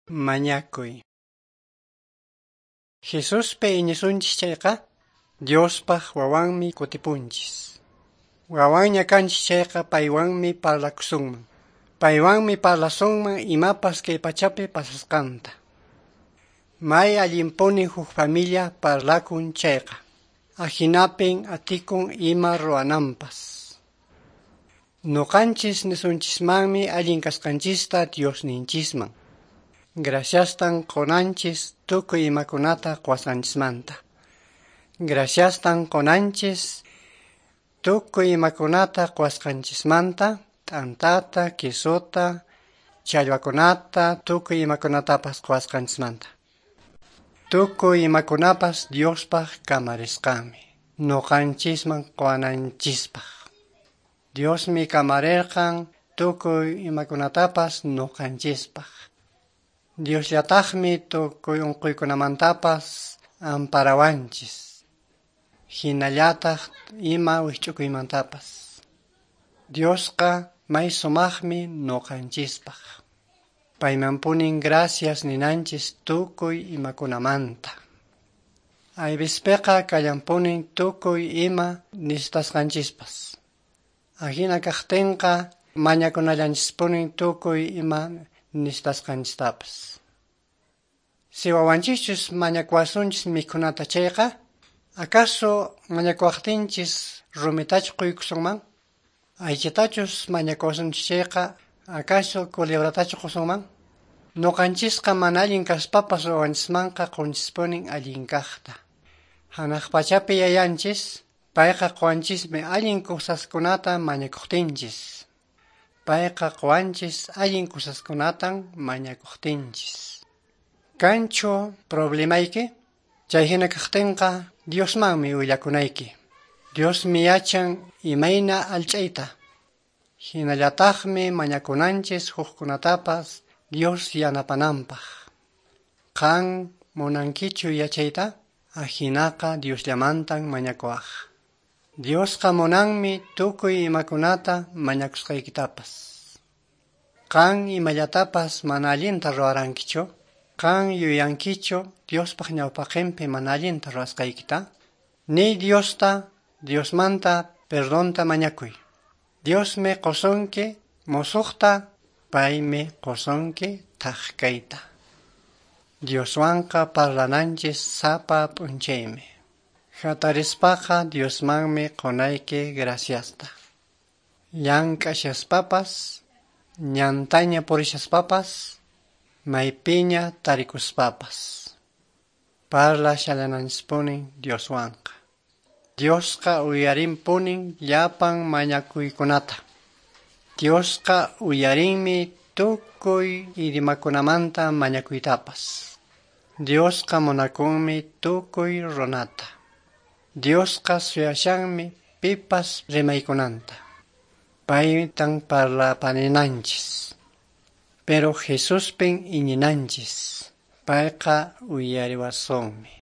Mañakuy. Jesuspi iñisunchis chayqa, Diospaq wawanmi kutipunchis. Wawanña kanchis chayqa paywanmi parlakusunman. Paywanmi parlasunman imapas kay pachapi pasasqanta. May allinpuni huk familia parlakun chayqa. Ahinapin atikun ima ruwananpas. Nuqanchis nisunchismanmi allin kasqanchista Diosninchisman. Graciastan qunanchis tukuy imakunata quwasqanchismanta. Graciastan qunanchis tukuy imakunata quwasqanchismanta, t'antata, quesota, challwakunata, tukuy imakunatapas quwasqanchismanta. Tukuy imakunapas Diospaq kamarisqanmi, nuqanchisman quwananchispaq. Diosmi kamarirqan tukuy imakunatapas nuqanchispaq. Diosllataqmi tukuy unquykunamantapas amparawanchis. Hinallataq ima wikch'ukuymantapas. Diosqa may sumaqmi nuqanchispaq. Paymanpunin gracias ninanchis tukuy imakunamanta. Aybispiqa kallanpunin tukuy ima necesitasqanchispas. Ahina kaqtinqa mañakunallanchispunin tukuy ima necesitasqanchistapas. Si wawanchischus mañakuwasunchis mikhunata chayqa, acaso mañakuwaqtinchis rumitachu quykusunman? Aychatachus mañakuwasunchis chayqa, acaso culebratachu qusunman? Nuqanchisqa mana allin kaspapas wawanchismanqa qunchispunin allin kaqta. Hanaq pachapi yayanchis, payqa quwanchismi allin kusaskunata mañakuqtinchis. Payqa quwanchis allin kusaskunatan mañakuqtinchis. Kanchu problemayki? Chayhina kaqtinqa Diosmanmi willakunayki. Diosmi yachan imayna allch'ayta. Hinallataqmi mañakunanchis hukkunatapas Dios yanapananpaq. Qan munankichu yachayta? Ahinaqa Diosllamantan mañakuwaq. Diosqa munanmi tukuy imakunata mañakusqaykitapas. Qan imallatapas mana allinta ruwarankichu? Qan yuyankichu Diospaq ñawpaqinpi mana allinta ruwasqaykita? Niy Diosta, Diosmanta perdonta mañakuy. Diosmi qusunki musuqta, paymi qusunki thak kayta. Dioswanqa parlananchis sapa p'unchaymi. Hatarispaqa Diosmanmi qunayki graciasta. Llank'ashaspapas, ñantaña purishaspapas, maypiña tarikuspapas. Parlashallananchispunin Dioswanqa. Diosqa uyarinpunin llapan mañakuykunata. Diosqa uyarinmi tukuy idimakunamanta mañakuytapas. Diosqa munakunmi tukuy runata. Diosqa suyashanmi pipas rimaykunanta. Paytan parlapaninanchis. Pero Jesuspin iñinanchis. Payqa uyariwasunmi.